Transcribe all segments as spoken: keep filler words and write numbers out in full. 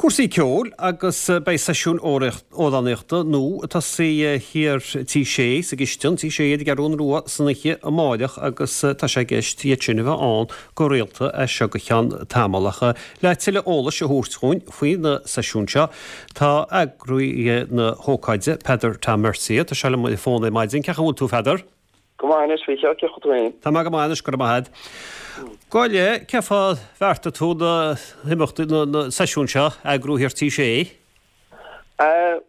Cúrsaí ceoil agus beidh seisiún amhránaíochta nua ag tosaí thiar Tí Sé sa gcistin, Tí Sé ar an gCeathrú Rua san oíche amáireach agus tá sé i gceist iad sin a bheith ann go rialta as seo go ceann tamaill ach le tuilleadh eolais a thabhairt dhúinn faoi na seisiúin seo tá eagraí na hócáide Peadar Tom Mercier tá sé liom ar an bhfón ar maidin cén chaoi a bhfuil tú Pheadar? Go maith anois faoi cén chaoi a bhfuil tú féin. Tá mé go maith anois go raibh maith agat. Gabh i leith, cén fáth ar bheartaigh tú na himeachtaí na na seisiúin seo a eagrú thiar Tí Sé?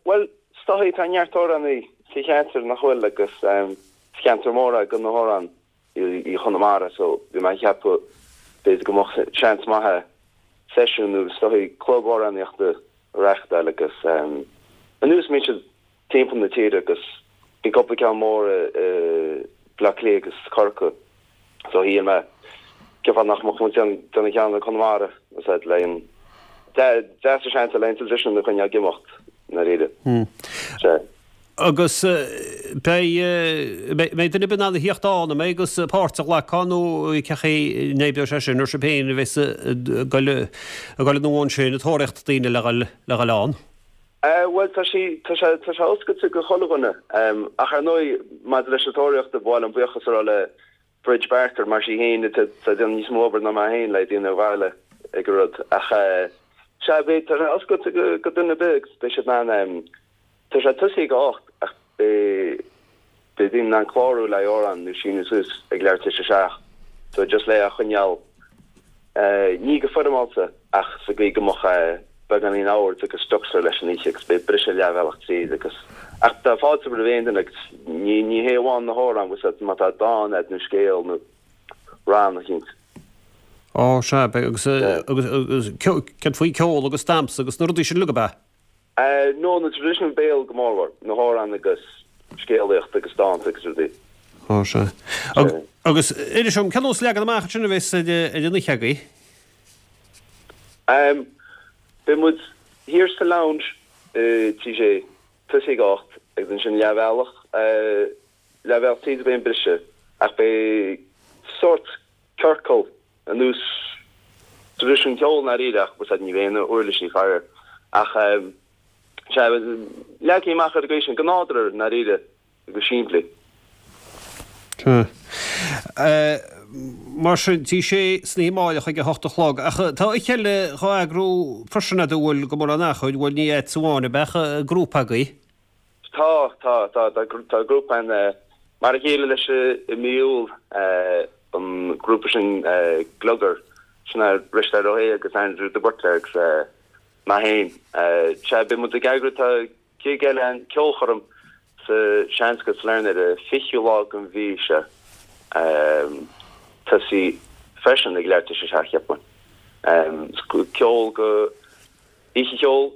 Bhuel, is dóigh tá neart amhránaí sa cheantar nach bhfuil agus is ceantar mór é do na hamhráin i Chonamara so bhí mé ag ceapadh b'fhéidir go mbeadh seans maith seisiún nó is dóigh club amhránaíochta a reáchtáil agus anuas mbíonn siad timpeall na tíre agus bhí cúpla ceann mór i Bleá Cliath agus Corcaigh so shíl mé cén fáth nach mbeadh muid ag déanamh ceann i Conamara is ea le an deas a seans le an traidisiún a choinneáil ag imeacht i ndáiríre. Sea. Agus beidh mbeidh duine ar bith in ann a thíocht ann, an mbeidh agus páirt a ghlacadh nó cén chaoi a n-oibreoidh sé sin, ar sibh féin a bheas ag dul ag dul anonn ansin ag tóraíocht daoine le dhul le dhul ann? Bhuel, tá sé, tá sé, tá sé oscailte go chuile dhuine. Ach ar ndóigh, maidir leis an tóraíocht, ba mhaith liom buíochas a rá le Bridge Barker mar sí féin atá ag déanamh níos mó obair ná mé féin le daoine a mhealladh ag an rud. Ach sea, beidh, tá sé oscailte go, go duine ar bith agus beidh siad in ann, tá sé ag tosaí ag a hocht ach beidh, beidh daoine in ann clárú le amhrán nó síniú suas ag leathuair tar éis a seacht. So just le é a choinneáil. Ní go foirmeálta ach sa gcaoi go mbeadh beagáinín oird agus structure leis an oíche agus beidh briseadh leathbhealach tríd agus ach tá fáilte roimh aon duine agus ní ní hé amháin na hamhráin bhfuil 's agat má tá dán agat nó scéal nó rann eicínt. Ó sea, beidh agus agus agus céard faoi ceol agus damhsa agus na rudaí sin uilig ab ea? No, na traidisiún béil go mórmhór, na hamhráin agus scéalaíocht agus dánta agus rudaí. Ó, sea. Agus inis dom, cén nós leagan amach ansin a bheas ar an oíche agaibh? Beidh muid thiar sa lounge i Tí Sé, tosaí ag a hocht agus ansin leathbhealach, leathbhealach tríd beidh an briseadh ach beidh sórt ciorcal ar nós traidisiún ceoil i ndáiríre ach bhfuil 's agat ní bheidh aon uirlisí faraor ach sea leagtha amach ar an gcaoi sin go nádúrtha i ndáiríre go simplí. Sea. Mar sin Tí Sé san oíche amáireach ag a hocht a chlog ach tá oíche eile dhá eagrú freisin agat an bhfuil go mórán achair bhfuil ní agatsa amháin ab ea ach grúpa agaibh? Tá, tá, tá, tá grúpa ann mar a chéile leis i mí Iúil, an grúpa sin Gliogar, sin é Risteárd Ó hAodha agus Andrew de Buitléar agus mé féin. Sea, beidh muid ag eagrú, tá gig eile ann, ceolchoirm sa Seanscoil Sailearna ar an fichiú lá den mhí seo, tosaí freisin ag leathuair tar éis a seacht cheapfainn. Ceol go. Oíche cheoil,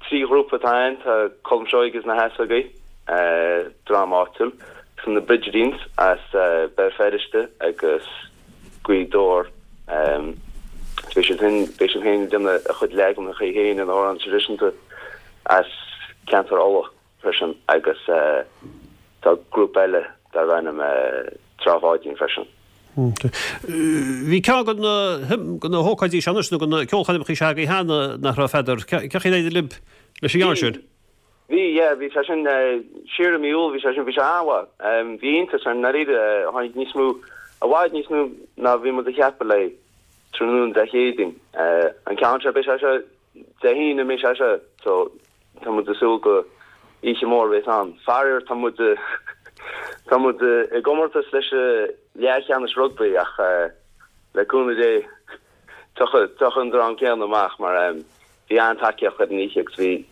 trí ghrúpa atá ann, tá Colm Seoighe agus na hEasógaí, dream áitiúil, agus na Brigidines as Béal Feirste agus Gaoth Dobhair. Beidh siad féin beidh siad féin ag déanamh a chuid leaganacha féin de na hamhráin traidisiúnta as ceantar Uladh freisin agus tá grúpa eile darb ainm Trá Pháidín freisin. Bhí ceann de na hócáidí seo anois, nó de na ceolchoirmeacha seo agaibh cheana, nach raibh, Pheadar? Cén chaoi ar éirigh libh leis an gceann sin? Bhí, yeah, bhí sé sin siar i mí Iúil, bhí sé sin, bhí sé an-mhaith. Bhí iontas orainn, i ndáiríre, tháinig níos mó, i bhfad níos mó ná bhí muid a cheapadh le tráthnóna Dé Céadaoin. An ceann seo, beidh sé seo Dé hAoine, an mbeidh sé seo, so Tá muid ag súil go oíche mhór a bheas ann. Faraor tá muid tá muid i gcomórtas leis an leathcheannais rugbaí ach le cúnamh Dé tiocfaidh tiocfaidh an dream céanna amach mar bhí an-tacaíocht ar an oíche agus bhí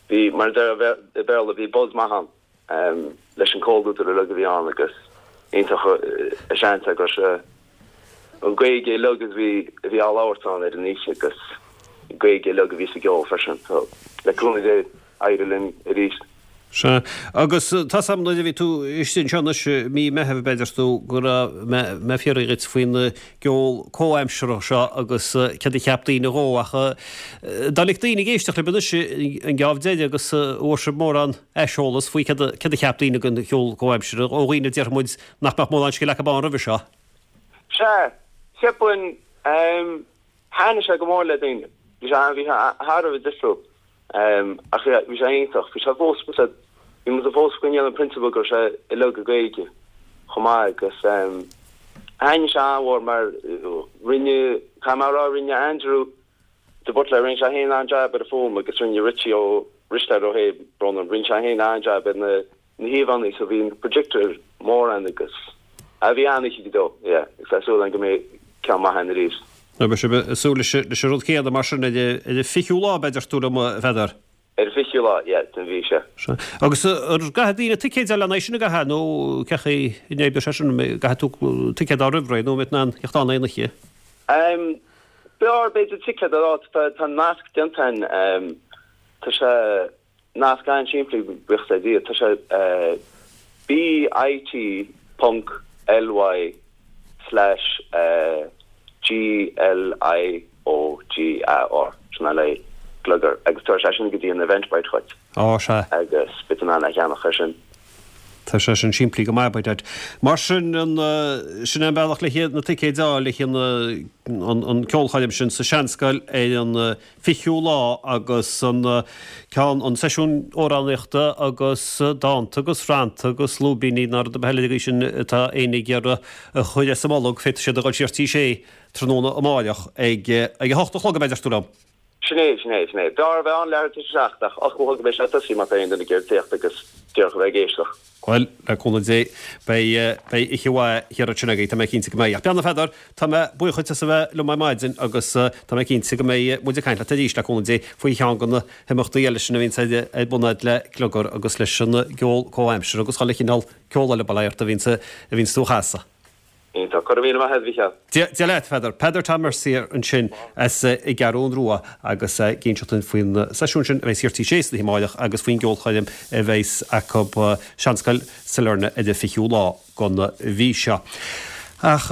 bhí mar a deir i Béarla bhí buzz maith ann. leis an comhluadar uilig a bhí ann agus iontach an seans agus an Ghaeilge uilig a bhí a bhí á labhairt ann ar an oíche agus Gaeilge uilig a bhí sa gceol freisin so le cúnamh Dé éireoidh linn arís. Sea. Agus tá's a'm nuair a bhí tú istigh anseo anois i mí Meitheamh b'fhéidir tú go raibh mé ag fiafraí dhuit faoin gceol comhaimseartha seo agus céard a cheap daoine dhó ach dá mbeadh daoine ag éisteacht libh anois an geábh deiridh agus an bhfuair sibh mórán aiseolas faoi céard a cheap daoine den cheol comhaimseartha ó dhaoine a déarfaidh muid nach mbeadh mórán scil acu ann roimhe seo. Sea, cheapfainn, thaitnigh sé go mór le daoine, Bhí sé bhí sé thar a bheith difriúil. Um, ach bhí sé iontach, bhí sé fós bhí muid fós coinneáil an prionsabal go raibh sé uilig i Gaeilge chomh maith agus um, thaitnigh sé an-mhór mar rinne camera rinne Andrew de Butler rinne sé féin an-jab ar an fuaim agus rinne Richie Ó Risteard Ó hÉ Bronán rinne sé féin an-jab ar na na híomhánna so bhí projector mór ann agus a bhí an-oíche go deo yeah agus tá súil go mbeidh ceann maith ann arís. Nó beidh sibh ag súil leis leis an rud céanna mar sin ar an fichiú lá b'fhéidir tú liom a Pheadair. Ar an fichiú lá, yeah, den mhí seo. Sea. Agus ar gcaithfidh daoine ticéid a fháil lena sin a gcaithfidh nó cén chaoi a n-oibreoidh sé sin, an gcaithfidh tú ticéad a fháil roimh ré nó an mbeidh in ann theacht ann aon oíche? Um, b'fhearr b'fhéidir ticéad a fháil, tá, tá nasc déanta ann, um, tá sé nasc an-simplí buíochas le Dia, tá sé uh, bit ponc ly slash uh, G L I O G A R sin le Gliogar agus tá sé sin go dtí an Eventbrite chuid. Á sea. Agus beidh in ann a cheannach ar sin. Tá sé sin simplí go maith b'fhéidir. Mar sin an sin an bealach le na ticéid a fháil le an an ceolchoirm sin sa Seanscoil ar an fichiú lá agus an ceann an seisiún amhránaíochta agus dánta agus rannta agus lúibíní ná rud ar bith eile sin atá éinne ag iarraidh a chur as a mbolg féadfaidh siad a dhul siar Tí Sé tráthnóna amáireach ag ag a hocht a chlog b'fhéidir tú liom. Sin é, sin é, sin é. B'fhearr a bheith ann leathuair tar éis a seacht ach ocht a chlog a bheidh sé ag tosaí má tá aon duine ag iarraidh teacht agus díreach a bheith ag éisteacht. Bhuel, le cúnamh Dé, beidh beidh oíche mhaith thiar ansin agaibh, tá mé cinnte go mbeidh. Ach beannacht a Pheadair, tá mé buíoch duit as a bheith liom ar maidin agus tá mé cinnte go mbeidh muid ag caint leat arís le cúnamh Dé faoi cheann de na himeachtaí eile sin a bhíonns ar ar bun agat le Gliogar agus leis an gceol comhaimseartha agus chuile chineál ceol eile bail ó Dhia ort a bhíonns a bhíonns tú a chasadh. Iontach. Go raibh míle maith agat, a Mhícheáil. Dia leat, Peadar. Peadar Tom Mercier ansin as an gCeathrú Rua agus ag inseacht dúinn faoin seisiún sin a bheidh thiar Tí Sé san oíche amáireach agus faoin gceolchoirm a bheidh acu Seanscoil Sailearna ar an fichiú lá den mhí seo. Ach